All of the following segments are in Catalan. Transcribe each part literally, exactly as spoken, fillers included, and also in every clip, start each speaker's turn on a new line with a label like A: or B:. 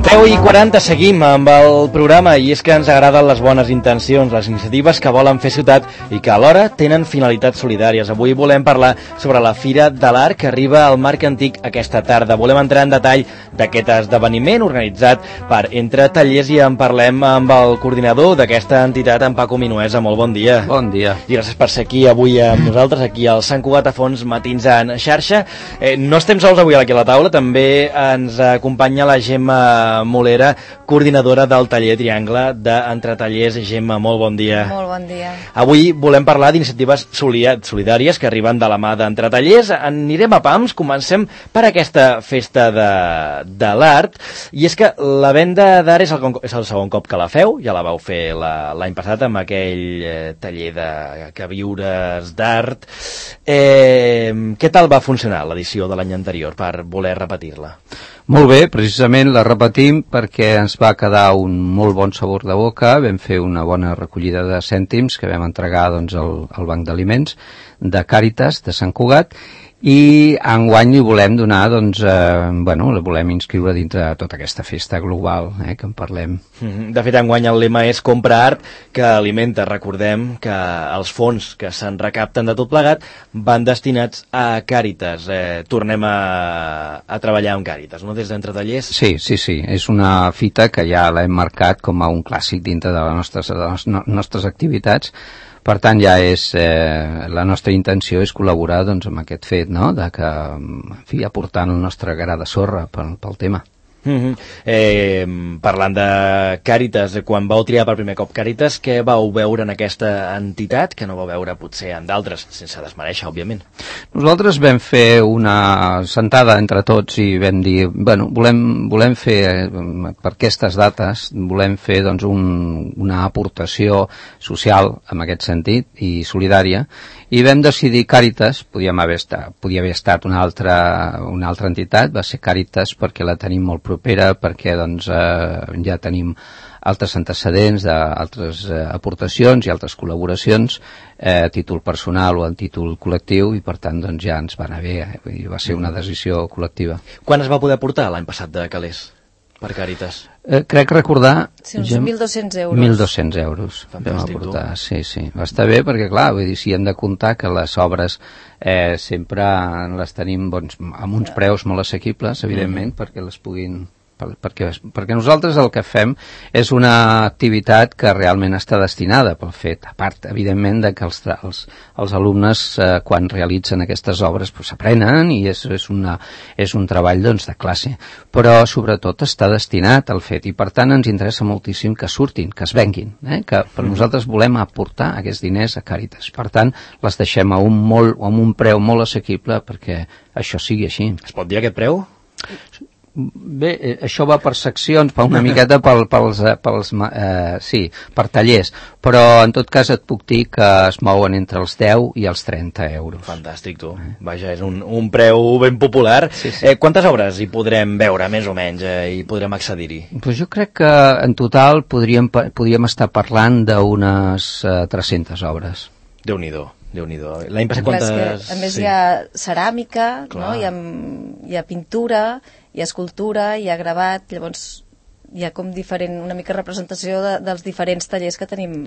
A: deu i quaranta seguim amb el programa i és que ens agraden les bones intencions, les iniciatives que volen fer ciutat i que alhora tenen finalitats solidàries. Avui volem parlar sobre la Fira de l'Art que arriba al Marc Antic aquesta tarda. Volem entrar en detall d'aquest esdeveniment organitzat per Entre Tallers i en parlem amb el coordinador d'aquesta entitat, en Paco Minuesa. Molt bon dia.
B: Bon dia.
A: I gràcies per ser aquí avui amb nosaltres, aquí al Sant Cugat a Fons, Matins en xarxa. Eh, no estem sols avui aquí a la taula, també ens acompanya la Gemma Molera, coordinadora del taller Triangle d'Entre Tallers. Gemma, molt bon dia.
C: Molt bon dia.
A: Avui volem parlar d'iniciatives solidàries que arriben de la mà d'Entre Tallers. Anirem a pams, comencem per aquesta festa de, de l'art, i és que la venda d'art és, el, és el segon cop que la feu, ja la vau fer l'any passat amb aquell eh, taller de que viures d'art. Eh, què tal va funcionar l'edició de l'any anterior per voler repetir-la?
B: Molt bé, precisament la repetim perquè ens va quedar un molt bon sabor de boca. Vam fer una bona recollida de cèntims que vam entregar doncs, al, al Banc d'Aliments de Càritas de Sant Cugat, i enguany li volem donar, doncs, eh, bueno, la volem inscriure dintre de tota aquesta festa global, eh, que en parlem.
A: De fet, enguany el lema és Compra art que alimenta. Recordem que els fons que se'n recapten de tot plegat van destinats a Càritas. Eh, tornem a, a treballar amb Càritas, no?, des d'Entre Tallers.
B: Sí, sí, sí. És una fita que ja l'hem marcat com a un clàssic dintre de les nostres, de les nostres activitats. Per tant, ja és, eh, la nostra intenció és col·laborar, doncs, amb aquest fet, no?, de que, en fi, aportant el nostre gra de sorra pel, pel tema.
A: Mm-hmm. eh, parlant de Càritas, quan vau triar per primer cop Càritas, què vau veure en aquesta entitat que no vau veure potser en d'altres, sense desmereixer, òbviament?
B: Nosaltres vam fer una sentada entre tots i vam dir, bueno, volem, volem fer, per aquestes dates, volem fer, doncs, un, una aportació social en aquest sentit i solidària, i vam decidir Càritas. Podíem haver estat, podia haver estat una altra, una altra entitat, va ser Càritas perquè la tenim molt propera, perquè doncs, eh, ja tenim altres antecedents d'altres eh, aportacions i altres col·laboracions eh, a títol personal o a títol col·lectiu, i per tant doncs, ja ens va anar bé, eh, va ser una decisió col·lectiva.
A: Quan es va poder portar l'any passat de calés per Càritas?
B: Eh, crec recordar...
C: Sí, uns mil dos-cents euros.
B: mil dos-cents euros.
A: Fantàstic,
B: vam aportar. Sí, sí. Va estar bé perquè, clar, vull dir, si hem de comptar que les obres eh, sempre les tenim, doncs, amb uns preus molt assequibles, evidentment, mm-hmm. perquè les puguin... Per, perquè, perquè nosaltres el que fem és una activitat que realment està destinada pel fet, a part, evidentment, de que els, els, els alumnes, eh, quan realitzen aquestes obres, pues, aprenen, i és, és, una, és un treball, doncs, de classe, però sobretot està destinat al fet, i per tant ens interessa moltíssim que surtin, que es venguin, eh? Que per nosaltres volem aportar aquests diners a Càritas. Per tant, les deixem a un, molt, a un preu molt assequible perquè això sigui així.
A: Es pot dir aquest preu?
B: Bé, eh, això va per seccions, per una miqueta pel, pels, pels eh, sí, per tallers, però en tot cas et puc dir que es mouen entre els deu i els trenta euros.
A: Fantàstic, tu. Eh? Vaja, és un, un preu ben popular. Sí, sí. Eh, quantes obres hi podrem veure, més o menys, eh, i podrem accedir-hi?
B: Pues jo crec que en total podríem, podríem estar parlant d'unes eh, tres-centes obres.
A: Déu-n'hi-do. Déu-n'hi-do. L'any passat quantes...
C: Que, a més, sí. Hi ha ceràmica, no? hi, ha, hi ha pintura, hi ha escultura, hi ha gravat, llavors hi ha com diferent, una mica representació de, dels diferents tallers que tenim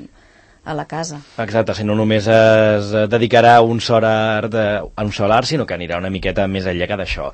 C: a la casa. Exacte,
A: si no només es dedicarà a un sol art, a un sol art, sinó que anirà una miqueta més enllà que d'això.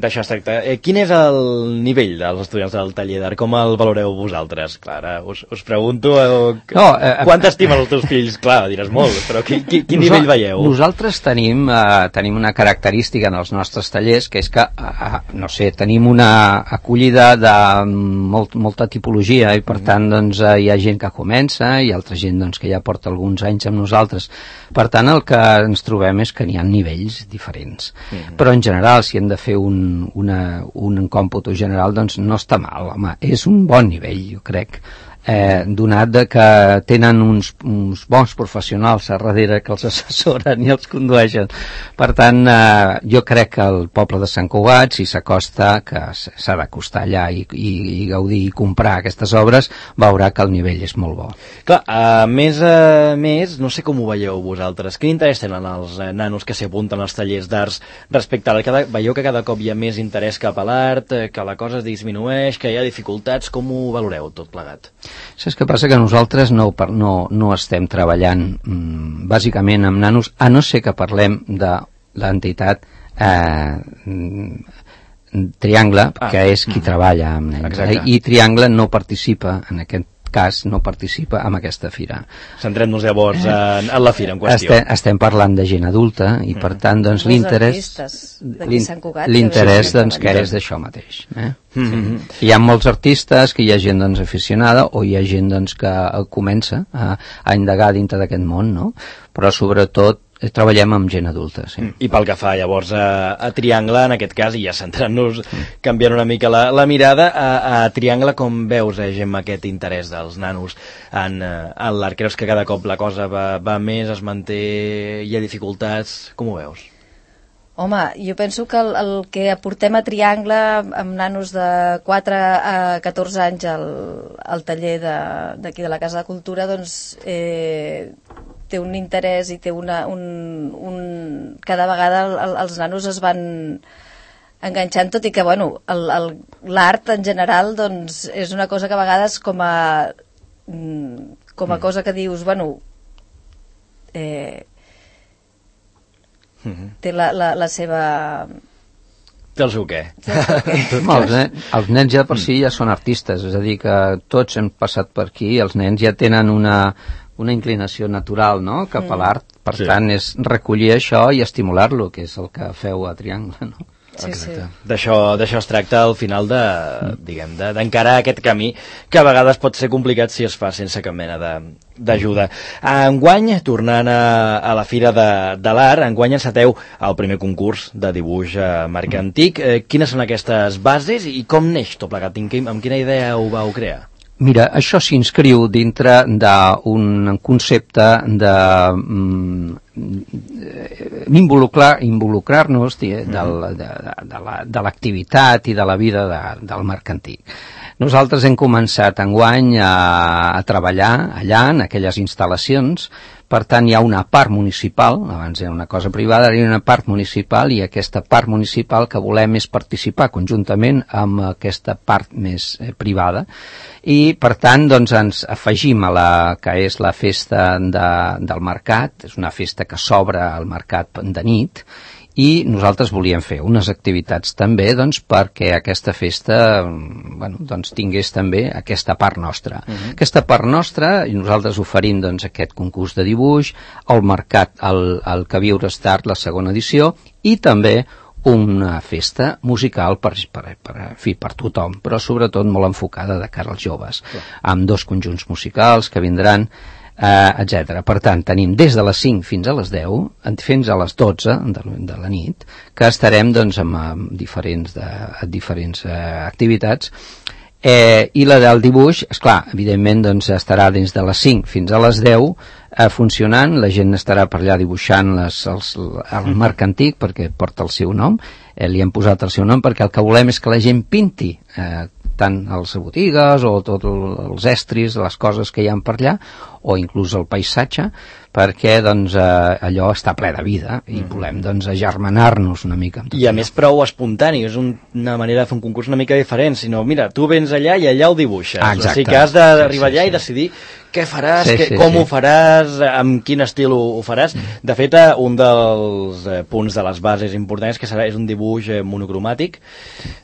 A: D'això es tracta. Eh, quin és el nivell dels estudiants del taller d'art? Com el valoreu vosaltres? Clar, us, us pregunto eh, no, eh, quant estimen els teus fills? Clar, diràs molt, però qui, qui, quin nivell veieu?
B: Nosaltres tenim, eh, tenim una característica en els nostres tallers, que és que, eh, no sé, tenim una acollida de molt, molta tipologia, i per mm. tant, doncs, eh, hi ha gent que comença, i altra gent, doncs, que ja porta alguns anys amb nosaltres. Per tant, el que ens trobem és que n'hi ha nivells diferents. Mm-hmm. Però en general, si hem de fer un, una, un còmput general, doncs no està mal, home. És un bon nivell, jo crec. eh, donat de que tenen uns, uns bons professionals a darrere que els assessoren i els condueixen. Per tant, eh, jo crec que el poble de Sant Cugat, si s'acosta, que s'ha d'acostar allà i, i, i gaudir i comprar aquestes obres, veurà que el nivell és molt bo.
A: Clar, a més a més, no sé com ho veieu vosaltres, quin interès tenen els eh, nanos que s'hi apunten als tallers d'arts respecte a la... Cada, veieu que cada cop hi ha més interès cap a l'art, eh, que la cosa es disminueix, que hi ha dificultats, com ho valoreu tot plegat?
B: Saps què passa? Que nosaltres no, no, no estem treballant mm, bàsicament amb nanos, a no ser que parlem de l'entitat eh, Triangle, ah. que és qui mm. treballa amb nens. Exacte. I Triangle no participa en aquest cas no participa en aquesta fira.
A: Centrem-nos llavors en, en la fira en qüestió.
B: Estem, estem parlant de gent adulta i per tant doncs l'interès l'interès doncs que és d'això mateix. Eh? Mm-hmm. Sí. Hi ha molts artistes, que hi ha gent doncs aficionada o hi ha gent doncs que comença a, a indagar dintre d'aquest món, no? Però sobretot treballem amb gent adulta, sí.
A: I pel que fa llavors a, a Triangle, en aquest cas, i ja centrant-nos, canviant una mica la, la mirada, a, a Triangle com veus, eh, Gemma, aquest interès dels nanos en, en l'art? Creus que cada cop la cosa va, va més, es manté, hi ha dificultats? Com ho veus?
C: Home, jo penso que el, el que aportem a Triangle amb nanos de quatre a catorze anys al, al taller d'aquí de, de la Casa de Cultura, doncs eh, té un interès i té una, un, un... cada vegada el, el, els nanos es van enganxant, tot i que, bueno, l'art en general doncs, és una cosa que a vegades com a com a cosa que dius, bueno, eh, té la, la, la seva...
A: Té el seu què?
B: els, nens, els nens ja per si ja són artistes, és a dir, que tots hem passat per aquí, els nens ja tenen una, una inclinació natural, no?, cap a l'art, per sí. tant és recollir això i estimular-lo, que és el que feu a Triangle, no?
C: Sí, sí.
A: D'això es tracta al final de, diguem, de, d'encarar aquest camí que a vegades pot ser complicat si es fa sense cap mena d'ajuda. Enguany, tornant a, a la Fira de, de l'Art, enguany enceteu el primer concurs de dibuix a Marc Antic. Eh, quines són aquestes bases i com neix tot plegat? Amb quina idea ho vau crear?
B: Mira, això s'inscriu dintre d'un concepte de mm, involucrar, involucrar-nos de, de, de, de l'activitat i de la vida de, del Marc Antic. Nosaltres hem començat enguany a, a treballar allà, en aquelles instal·lacions. Per tant, hi ha una part municipal, abans era una cosa privada, hi ha una part municipal i aquesta part municipal que volem és participar conjuntament amb aquesta part més eh, privada i, per tant, doncs, ens afegim a la que és la festa de, del mercat, és una festa que s'obre al mercat de nit i nosaltres volíem fer unes activitats també doncs, perquè aquesta festa bueno, doncs, tingués també aquesta part nostra. Uh-huh. Aquesta part nostra, i nosaltres oferim doncs, aquest concurs de dibuix, el mercat, el, el Que Viure Start, la segona edició, i també una festa musical per, per, per, fi, per tothom, però sobretot molt enfocada de cara als joves, uh-huh. amb dos conjunts musicals que vindran, Uh, etcètera. Per tant, tenim des de les cinc fins a les deu, fins a les dotze de, de la nit, que estarem doncs, amb, amb diferents, de, diferents uh, activitats. Eh, I la del dibuix, esclar, evidentment doncs, estarà des de les cinc fins a les deu eh, funcionant, la gent estarà per allà dibuixant les, els, el Marc Antic, perquè porta el seu nom, eh, li hem posat el seu nom perquè el que volem és que la gent pinti eh, tant a les botigues o tots els estris, les coses que hi ha per allà, o inclús el paisatge, perquè doncs, eh, allò està ple de vida i mm. volem doncs, agermanar-nos una mica.
A: I a allò. Més prou espontani, és un, una manera de fer un concurs una mica diferent, sinó mira, tu vens allà i allà ho dibuixes.
B: Ah, exacte.
A: O sigui que has d'arribar sí, sí, allà sí. i decidir què faràs, sí, que, sí, com sí. ho faràs, amb quin estil ho, ho faràs. De fet, un dels eh, punts de les bases importants que serà és un dibuix eh, monocromàtic,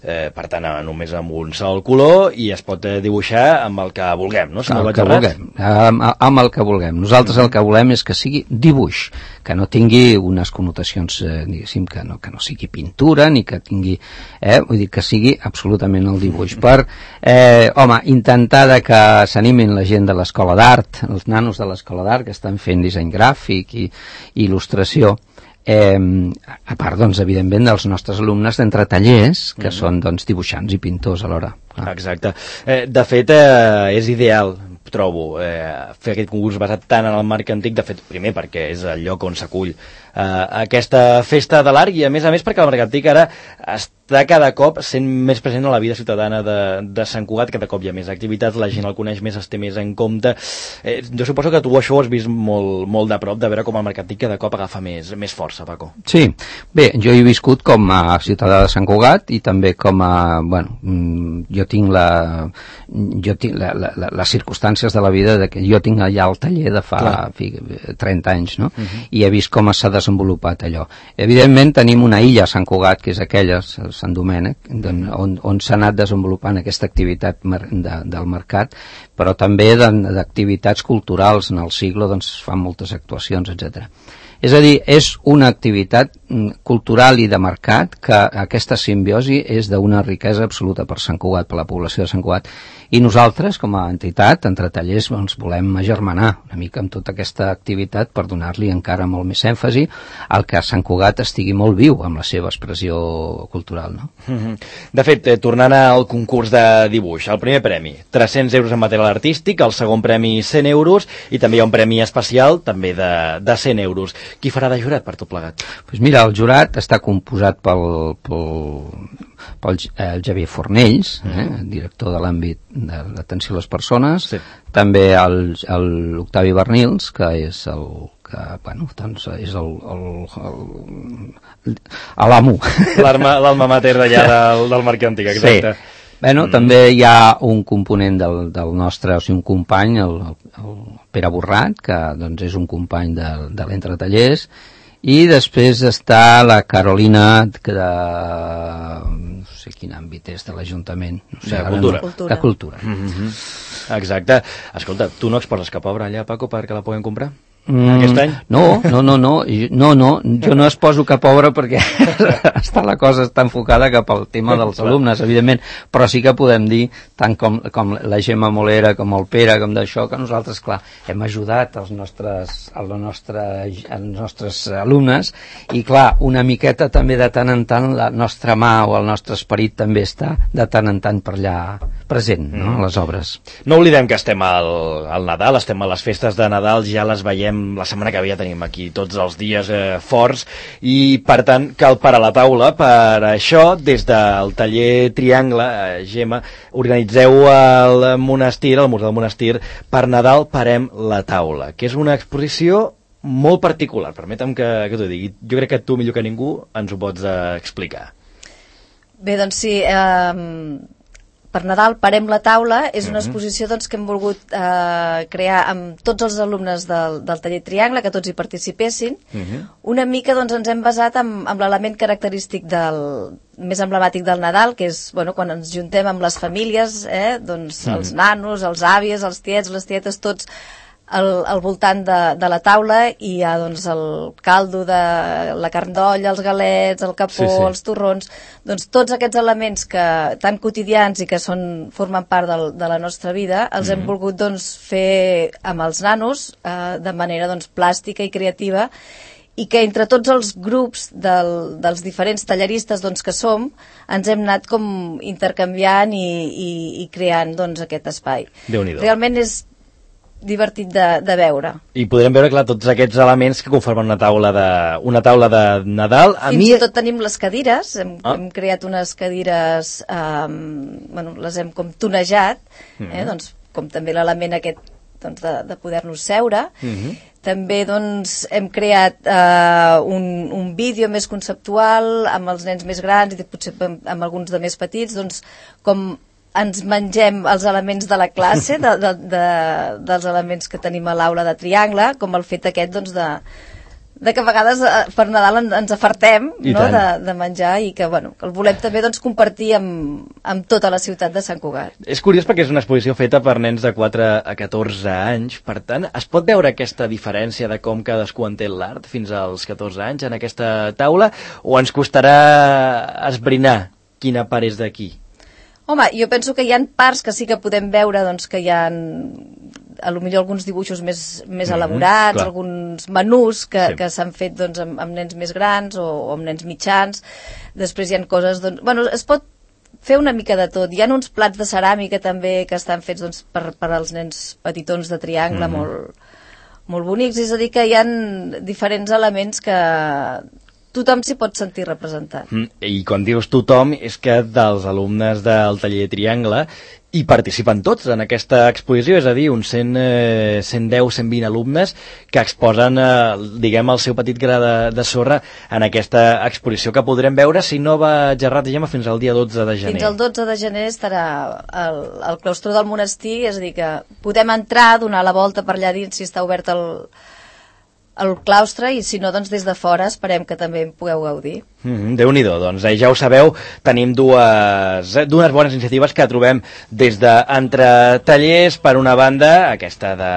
A: eh, per tant, només amb un sol color, i es pot eh, dibuixar amb el que vulguem, no? Si no
B: el que vulguem, amb, amb el que vulguem. Nosaltres el que volem és que sigui dibuix, que no tingui unes connotacions, eh, diguéssim, que no, que no sigui pintura, ni que tingui, eh, vull dir, que sigui absolutament el dibuix. Per, eh, home, intentar de que s'animin la gent de l'escola d'art, els nanos de l'escola d'art que estan fent disseny gràfic i, i il·lustració, eh, a part, doncs, evidentment, dels nostres alumnes d'entre tallers, que mm. són, doncs, dibuixants i pintors alhora.
A: Ah. Exacte. Eh, de fet, eh, és ideal trobo, eh, fer aquest concurs basat tant en el marc antic, de fet, primer perquè és el lloc on s'acull eh, aquesta festa de l'art, i a més a més perquè el marc antic ara està cada cop sent més present a la vida ciutadana de, de Sant Cugat, cada cop hi ha més activitats, la gent el coneix més, es té més en compte. Eh, jo suposo que tu això ho has vist molt, molt de prop, de veure com el marc antic cada cop agafa més, més força, Paco.
B: Sí, bé, jo he viscut com a ciutadà de Sant Cugat i també com a, bueno, jo tinc la, jo tinc la, la, la, les circumstàncies de la vida de que jo tinc allà el taller de fa fi, trenta anys, no? Uh-huh. I he vist com s'ha desenvolupat allò. Evidentment tenim una illa a Sant Cugat, que és aquella, Sant Domènec, on, on s'ha anat desenvolupant aquesta activitat de, del mercat, però també d'activitats culturals. En el Siglo doncs, fan moltes actuacions, etcètera. És a dir, és una activitat cultural i de mercat que aquesta simbiosi és d'una riquesa absoluta per Sant Cugat, per la població de Sant Cugat. I nosaltres, com a entitat, entre tallers, doncs, volem agermanar una mica amb tota aquesta activitat per donar-li encara molt més èmfasi al que Sant Cugat estigui molt viu amb la seva expressió cultural, no?
A: De fet, eh, tornant al concurs de dibuix, el primer premi, tres-cents euros en material artístic, el segon premi, cent euros, i també hi ha un premi especial, també de, de cent euros. Qui farà de jurat per tot plegat?
B: Pues mira, el jurat està composat pel, pel, pel el Javier Fornells, eh, director de l'àmbit de l'atenció a les persones, sí. També l'Octavi Bernils, que és el que, bueno, doncs és el, el, el, l'amo.
A: L'alma mater d'allà del, del marc antic, exacte. Sí.
B: Bueno, mm. també hi ha un component del, del nostre, o sigui, un company, el, el Pere Borrat, que doncs, és un company de, de l'Entretallers, i després està la Carolina, que de, no sé quin àmbit és, de l'Ajuntament. No sé,
A: de cultura.
B: No, de cultura.
A: Mm-hmm. Exacte. Escolta, tu no exposes cap obra allà, Paco, perquè la puguem comprar? Mm, aquest any?
B: No, no, no, no, no, no, jo no es poso cap obra perquè està la cosa està enfocada cap al tema dels alumnes, evidentment, però sí que podem dir, tant com, com la Gemma Molera, com el Pere, com d'això, que nosaltres, clar, hem ajudat els nostres, els nostres, els nostres alumnes, i clar, una miqueta també de tant en tant la nostra mà o el nostre esperit també està de tant en tant per allà present, no?, a les obres.
A: No oblidem que estem al, al Nadal, estem a les festes de Nadal, ja les veiem la setmana que ve, ja tenim aquí tots els dies eh, forts, i per tant cal parar la taula. Per això, des del taller Triangle, eh, Gemma, organitzeu al monestir, al Museu del Monestir, per Nadal parem la taula, que és una exposició molt particular, permetem que, que t'ho digui. Jo crec que tu millor que ningú ens ho pots eh, explicar.
C: Bé, doncs sí, eh, per Nadal parem la taula, és una exposició doncs, que hem volgut eh, crear amb tots els alumnes del, del taller Triangle, que tots hi participessin. Uh-huh. Una mica doncs, ens hem basat amb, amb l'element característic del, més emblemàtic del Nadal, que és bueno, quan ens juntem amb les famílies, eh, doncs, uh-huh. els nanos, els àvies, els tiets, les tietes, tots al, al voltant de, de la taula, i hi ha doncs, el caldo de la carn d'olla, els galets, el capó, sí, sí. els torrons, doncs tots aquests elements que, tan quotidians i que són, formen part del, de la nostra vida, els mm-hmm. hem volgut doncs, fer amb els nanos eh, de manera doncs, plàstica i creativa, i que entre tots els grups del, dels diferents talleristes doncs, que som, ens hem anat com intercanviant i, i, i creant doncs, aquest espai.
A: Déu-n'hi-do.
C: Realment és divertit de, de veure.
A: I podrem veure, clar, tots aquests elements que conformen una taula de, una taula de Nadal. A
C: Fins
A: mi...
C: i tot tenim les cadires, hem, ah. hem creat unes cadires, um, bueno, les hem com tonejat, mm-hmm. eh, doncs, com també l'element aquest doncs, de, de poder-nos seure. Mm-hmm. També doncs, hem creat uh, un, un vídeo més conceptual amb els nens més grans i potser amb, amb alguns de més petits, doncs, com ens mengem els elements de la classe, de, de, de, dels elements que tenim a l'aula de Triangle, com el fet aquest doncs, de, de que a vegades per Nadal ens afartem no? de, de menjar, i que bueno, el volem també doncs, compartir amb, amb tota la ciutat de Sant Cugat.
A: És curiós perquè és una exposició feta per nens de quatre a catorze anys, per tant, es pot veure aquesta diferència de com cadascú entén l'art fins als catorze anys en aquesta taula, o ens costarà esbrinar quina part és d'aquí?
C: Home, jo penso que hi ha parts que sí que podem veure doncs, que hi ha a lo millor alguns dibuixos més, més mm-hmm, elaborats, clar. Alguns menús que, sí. que s'han fet doncs, amb, amb nens més grans o, o amb nens mitjans. Després hi ha coses... Doncs, bueno, es pot fer una mica de tot. Hi ha uns plats de ceràmica també que estan fets doncs, per, per als nens petitons de triangle, mm-hmm. molt, molt bonics, és a dir que hi ha diferents elements que tothom s'hi pot sentir representat.
A: Mm, I quan dius tothom és que dels alumnes del taller Triangle hi participen tots en aquesta exposició, és a dir, uns cent, eh, cent deu, cent vint alumnes que exposen, eh, diguem, el seu petit gra de, de sorra en aquesta exposició que podrem veure, si no va gerrat, diguem, fins al dia dotze de gener.
C: Fins al dotze de gener estarà al, al claustre del monestir, és a dir que podem entrar, donar la volta per allà dins si està obert el, el claustre, i si no, doncs des de fora esperem que també en pugueu gaudir.
A: Mm, Déu-n'hi-do, doncs eh, ja ho sabeu, tenim dues, eh, dues bones iniciatives que trobem des d'entre tallers, per una banda, aquesta de,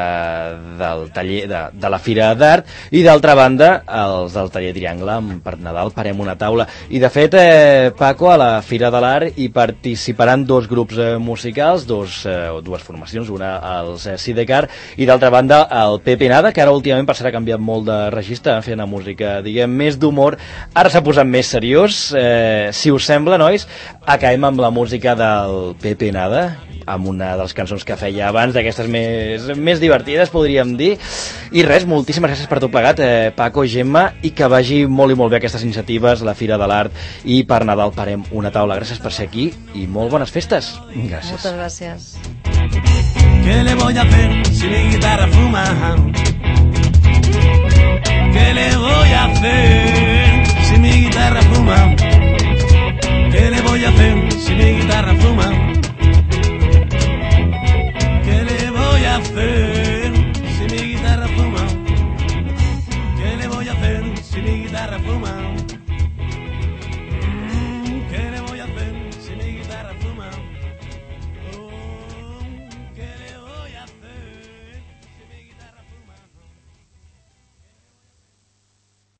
A: del taller de, de la Fira d'Art, i d'altra banda, els del taller Triangle, per Nadal parem una taula. I de fet, eh, Paco, a la Fira de l'Art hi participaran dos grups eh, musicals, dos, eh, dues formacions, una als eh, Sidecar, i d'altra banda el Pepe Nada, que ara últimament passarà a canviar molt de registre, fent una música, diguem, més d'humor. Ara s'ha posat més seriós. Eh, si us sembla, nois, acabem amb la música del Pepe Nada, amb una de les cançons que feia abans, d'aquestes més, més divertides, podríem dir. I res, moltíssimes gràcies per tot plegat, eh, Paco, Gemma, i que vagi molt i molt bé aquestes iniciatives, la Fira de l'Art, i per Nadal parem una taula. Gràcies per ser aquí i molt bones festes.
B: Gràcies.
C: Moltes gràcies.
D: ¿Qué le voy a hacer si mi guitarra fuma?